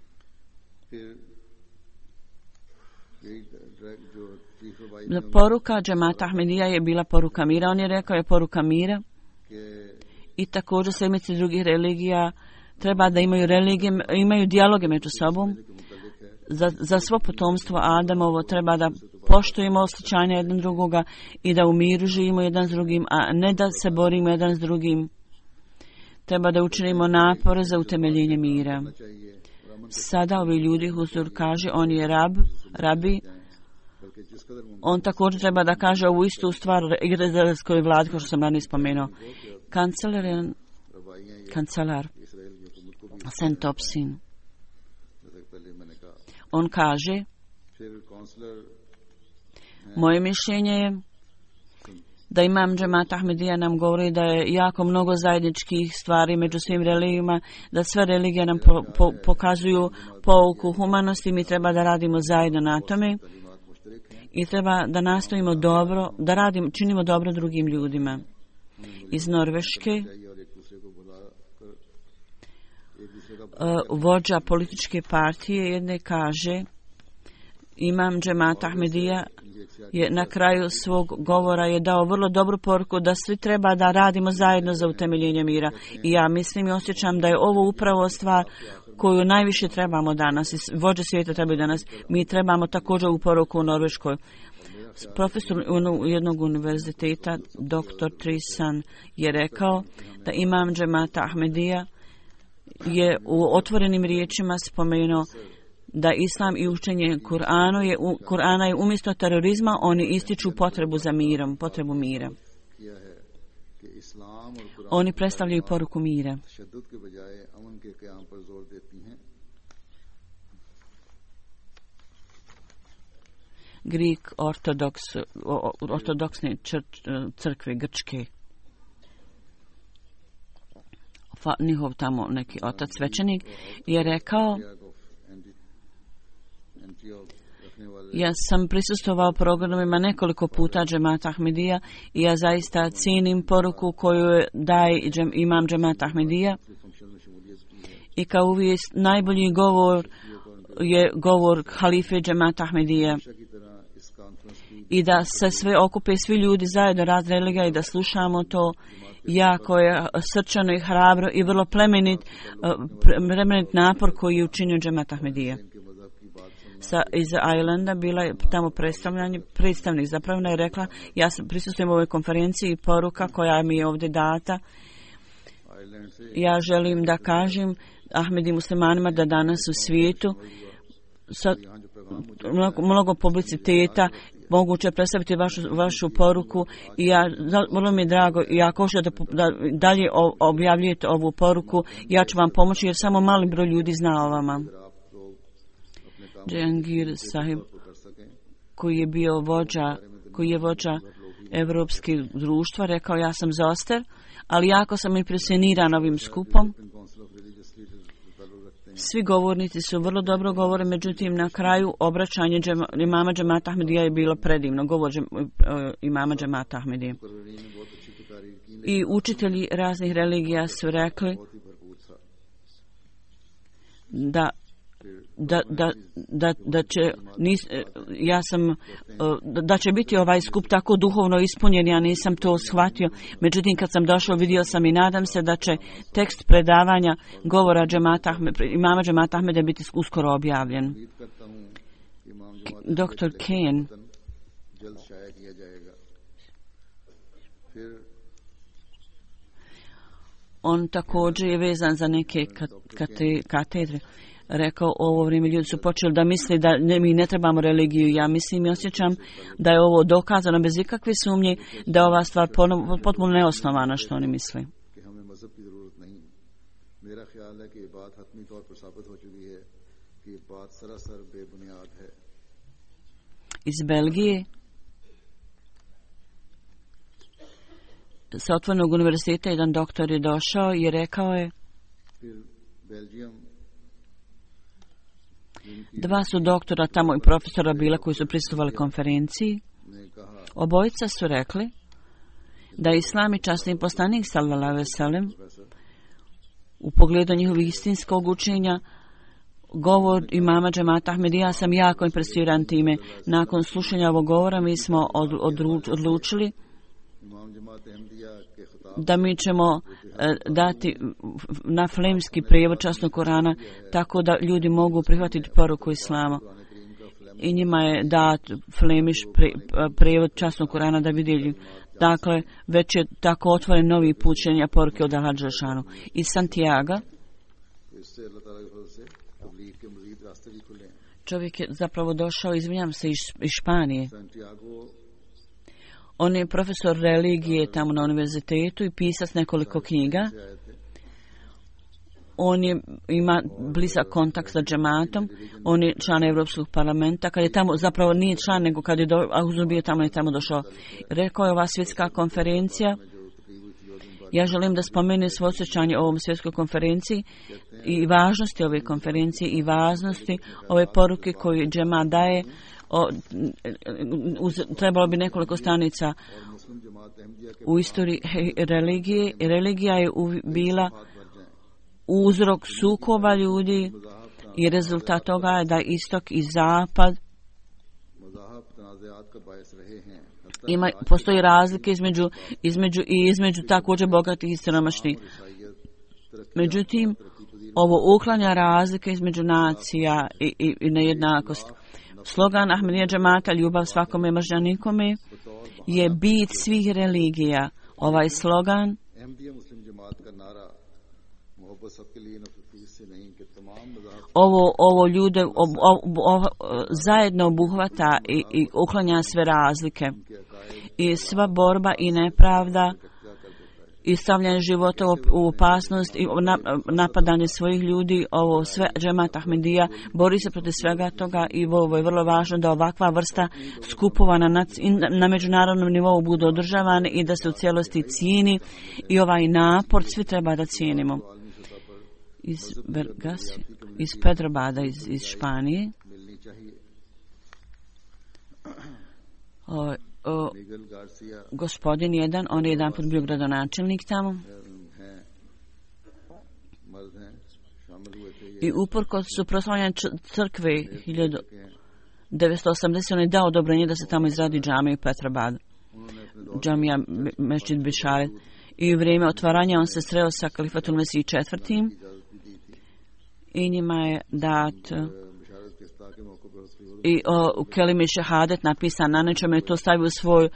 Poruka džemata Ahmedija je bila poruka mira. On je rekao je poruka mira. I također sljedbenici drugih religija treba da imaju religije, imaju dijaloge među sobom. Za, za svo potomstvo Adamovo treba da poštujemo osjećanja jedan drugoga i da u miru živimo jedan s drugim, a ne da se borimo jedan s drugim. Treba da učinimo napore za utemeljenje mira. Sada ovi ljudi, Huzur kaže, on je rab, rabi. On također treba da kaže ovu istu stvar izraelskoj vladi, kao što sam ranije spomenuo. Kancelar, kancelar Sen Topsin, on kaže: moje mišljenje je da imam džemat Ahmedija nam govori da je jako mnogo zajedničkih stvari među svim religijama, da sve religije nam po, po, pokazuju pouku humanosti, mi treba da radimo zajedno na tome i treba da nastojimo dobro, da radimo, činimo dobro drugim ljudima. Iz Norveške vođa političke partije jedne kaže: imam džemat Ahmedija je na kraju svog govora je dao vrlo dobru poruku da svi treba da radimo zajedno za utemeljenje mira. I ja mislim i osjećam da je ovo upravo stvar koju najviše trebamo danas i vođe svijeta trebaju danas. Mi trebamo također u poruku u Norveškoj. Profesor jednog univerziteta, doktor Trisan, je rekao da imam džemata Ahmedija je u otvorenim riječima spomenuo da islam i učenje Kur'anu je, Kur'ana je umjesto terorizma, oni ističu potrebu za mirom, potrebu mira. Oni predstavljaju poruku mira. Greek ortodoks, ortodoksne crkve Grčke. Njihov tamo neki otac svećenik je rekao, ja sam prisustvovao programima nekoliko puta Džemata Ahmedija i ja zaista cijenim poruku koju daje imam Džemata Ahmedija i kao uvijek najbolji govor je govor halife Džemata Ahmedija i da se sve okupe svi ljudi zajedno raz religija i da slušamo to jako je srčano i hrabro i vrlo plemenit, plemenit napor koji je učinio Džemat Ahmedija. Sa, iz Islanda bila je tamo predstavnik zapravo je rekla, ja sam prisustvujem u ovoj konferenciji i poruka koja mi je ovdje data. Ja želim da kažem Ahmedi muslimanima da danas u svijetu sa mnogo, mnogo publiciteta moguće predstaviti vašu, vašu poruku i ja, vrlo mi je drago i ako hoćete da, da dalje objavljujete ovu poruku, ja ću vam pomoći jer samo mali broj ljudi zna o vama. Džehangir Sahib, koji je bio vođa, koji je vođa Evropskih društva, rekao ja sam Zoster, ali jako sam impresioniran ovim skupom. Svi govornici su vrlo dobro govore, međutim na kraju obraćanje džema, imama Džemata Ahmedija je bilo predivno, govor džem, imama Džemata Ahmedija. I učitelji raznih religija su rekli da Da, da, da, da će nis, ja sam da će biti ovaj skup tako duhovno ispunjen, ja nisam to shvatio, međutim kad sam došao vidio sam i nadam se da će tekst predavanja govora Džemata, imama Džemata Ahmeda biti uskoro objavljen. doktor Kane on također je vezan za neke kate, katedre. Rekao, ovo vrijeme ljudi su počeli da misle da ne, mi ne trebamo religiju. Ja mislim i osjećam da je ovo dokazano bez ikakve sumnje da je ova stvar potpuno neosnovana što oni misle. Iz Belgije sa otvorenog univerziteta jedan doktor je došao i rekao je dva su doktora tamo i profesora bila koji su prisustvovali konferenciji. Obojica su rekli da je Islam i časni poslanik sallallahu alejhi ve sellem u pogledu njihovih istinskog učenja govor imama Džemata Ahmedija sam jako impresioniran time. Nakon slušanja ovog govora mi smo od, od, odlučili da mi ćemo e, dati na flemski prijevod časnog Korana tako da ljudi mogu prihvatiti poruku Islama. I njima je dat flemiš pri, prijevod časnog Korana da vidjeli. Dakle, već je tako otvoren novi put šenja poruke od Allah Đelešanu. Iz Santiago čovjek je zapravo došao, izvinjam se, iz, iz Španije. On je profesor religije tamo na univerzitetu i pisac nekoliko knjiga. On je, ima blizak kontakt sa džematom. On je član Europskog parlamenta. Kad je tamo, zapravo nije član, nego kad je do, Auzur bio tamo, je tamo došao. Rekao je ova svjetska konferencija. Ja želim da spomenem svoje osjećanje o ovom svjetskoj konferenciji i važnosti ove konferencije i važnosti ove poruke koju džema daje. O, uz, trebalo bi nekoliko stranica u istoriji religije. Religija je u, bila uzrok sukoba ljudi i rezultat toga je da istok i zapad ima, postoji razlike između, između i između također bogatih i siromašnih. Međutim, ovo uklanja razlike između nacija i, i, i nejednakost. Slogan Ahmedija džemata, ljubav svakome, mržnja nikome, je bit svih religija. Ovaj slogan ovo, ovo ljude ob, ob, ob, zajedno obuhvata i, i uklanja sve razlike i sva borba i nepravda i stavljanje života u opasnost i napadanje svojih ljudi, ovo sve džemat Ahmedija bori se protiv svega toga i ovo je vrlo važno da ovakva vrsta skupova na, na međunarodnom nivou budu održavane i da se u cijelosti cijeni i ovaj napor svi treba da cijenimo. Iz Bergasi, iz Petrobada, iz, iz Španije. O, o, gospodin jedan, on je jedan put bio gradonačelnik tamo. I uporkos su proslavljanja crkve hiljadu devetsto osamdeset. on je dao odobrenje da se tamo izradi džamija u Petrobadu. Džamija Mešćid Bišaret. I u vrijeme otvaranja on se sreo sa Kalifatul Mesih četvrtim. I njima je dat i o, u kelimi šehadet napisan na nečemu je to stavio u svoju,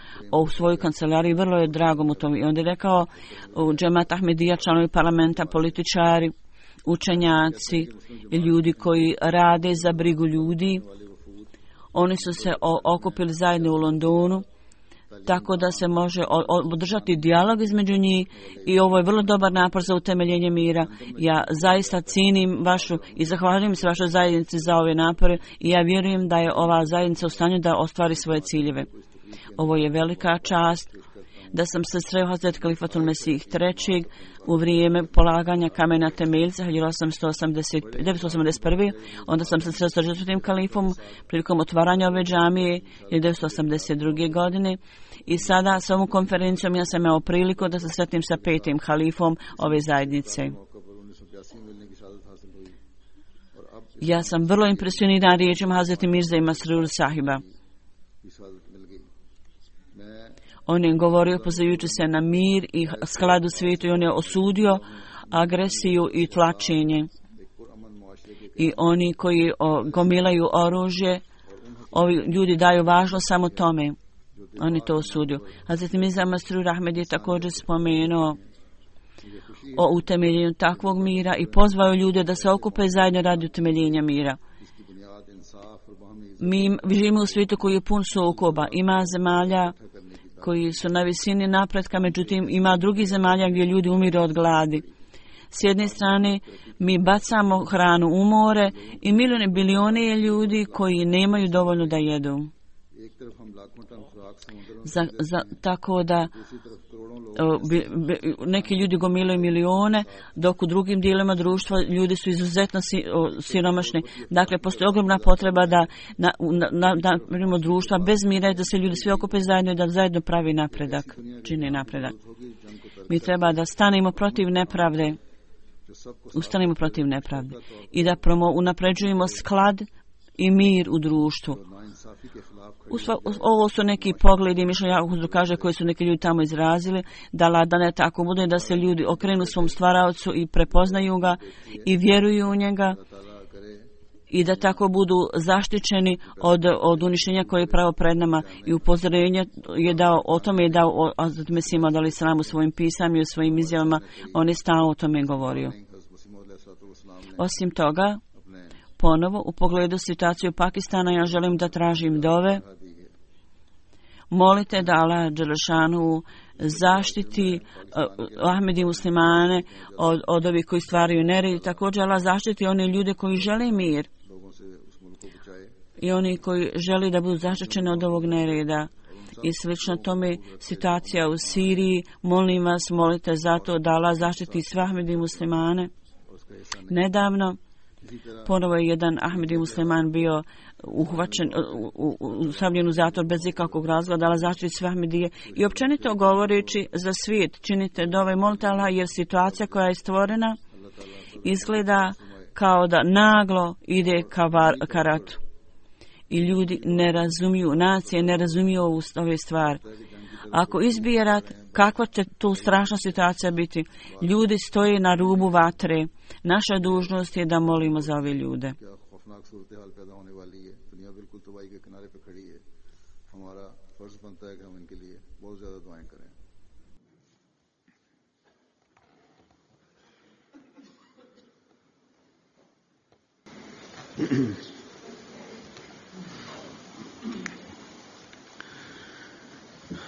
u svoju kancelariju. Vrlo je drago mu to. I onda je rekao u džemat Ahmedija, članovi parlamenta, političari, učenjaci i ljudi koji rade za brigu ljudi. Oni su se o, okupili zajedno u Londonu, tako da se može održati dijalog između njih i ovo je vrlo dobar napor za utemeljenje mira. Ja zaista cijenim vašu i zahvaljujem se vašoj zajednici za ove napore i ja vjerujem da je ova zajednica u stanju da ostvari svoje ciljeve. Ovo je velika čast da sam se sreo Hazret Kalifatul Mesih trećeg u vrijeme polaganja kamena temeljca hiljadu osamsto osamdeset prve. Onda sam se sreo sa četvrtim kalifom prilikom otvaranja ove džamije hiljadu devetsto osamdeset druge. godine. I sada s ovom konferencijom ja sam imao priliku da se sretnim sa petim halifom ove zajednice. Ja sam vrlo impresioniran riječima Hazreti Mirza i Masrur Sahiba. On je govorio pozivajući se na mir i sklad u svijetu i on je osudio agresiju i tlačenje. I oni koji o, gomilaju oružje, ovi ljudi daju važnost samo tome. Oni to osudio. Hazret Mirza Masrur Ahmed je također spomenuo o utemeljenju takvog mira i pozvao ljude da se okupe zajedno radi utemeljenja mira. Mi živimo u svijetu koji je pun sukoba. Ima zemalja koji su na visini napretka, međutim ima drugih zemalja gdje ljudi umiru od gladi. S jedne strane mi bacamo hranu u more i milijone bilione ljudi koji nemaju dovoljno da jedu. Za, za, tako da o, bi, bi, neki ljudi gomilaju milione, dok u drugim dijelovima društva ljudi su izuzetno si, o, siromašni. Dakle, postoji ogromna potreba da na, na, na, na društva bez mira, da se ljudi svi okupe zajedno i da zajedno pravi napredak, čini napredak. Mi treba da stanemo protiv nepravde, ustanemo protiv nepravde i da promo, unapređujemo sklad i mir u društvu. Usva, ovo su neki pogledi, mišljenja kaže koji su neki ljudi tamo izrazili, da ladane tako bude da se ljudi okrenu svom stvaraocu i prepoznaju ga i vjeruju u njega i da tako budu zaštićeni od, od uništenja koje je pravo pred nama. I upozorenje je dao, o tome je dao o Mesima dali sram u svojim pisama i u svojim izjavama, on je stalno o tome govorio. Osim toga, ponovo u pogledu situaciju Pakistana ja želim da tražim dove. Molite da Allah Đelešanu zaštiti uh, Ahmedi muslimane od, od ovih koji stvaraju nered. Također Allah zaštiti one ljude koji žele mir i oni koji žele da budu zaštićeni od ovog nereda. I slično tome situacija u Siriji. Molim vas, molite zato da Allah zaštiti sve Ahmedi muslimane. Nedavno ponovo je jedan Ahmedi musliman bio uhvaćen, ustavljen u zatvor bez ikakvog razloga, ali zaštiti sve Ahmedije. I općenito govoreći za svijet, činite dove, molite Allah, jer situacija koja je stvorena izgleda kao da naglo ide ka, var, ka ratu. I ljudi ne razumiju, nacije ne razumiju ove stvari. Ako izbije rat, kakva će to strašna situacija biti? Ljudi stoje na rubu vatre. Naša dužnost je da molimo za ove ljude.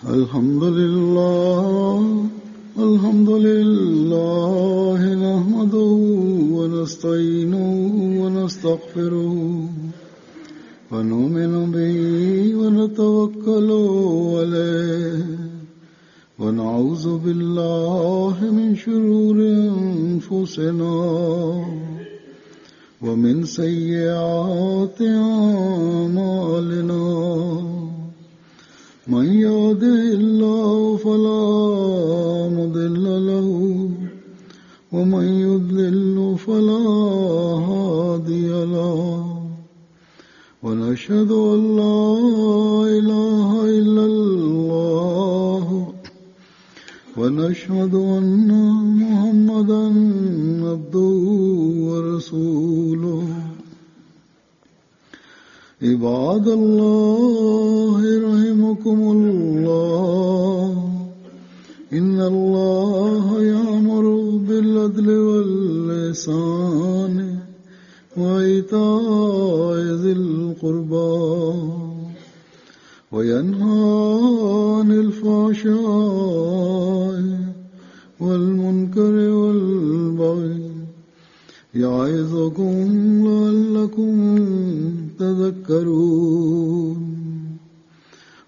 الحمد لله الحمد لله نحمده ونستعينه ونستغفره ونؤمن به ونتوكل عليه ونعوذ بالله من شرور أنفسنا ومن سيئات أعمالنا من يهده الله فلا مضل له ومن يضلل فلا هادي له ونشهد أن لا إله إلا الله ونشهد أن محمدا عبده ورسوله عباد الله رحمكم الله إن الله يأمر بالعدل والإحسان وإيتاء ذي القربى وينهى عن الفحشاء والمنكر والبغي يعظكم لعلكم تذكرون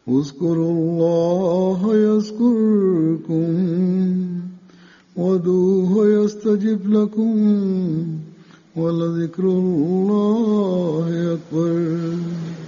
اذكروا الله يذكركم وادعوه يستجب لكم ولذكر الله أكبر.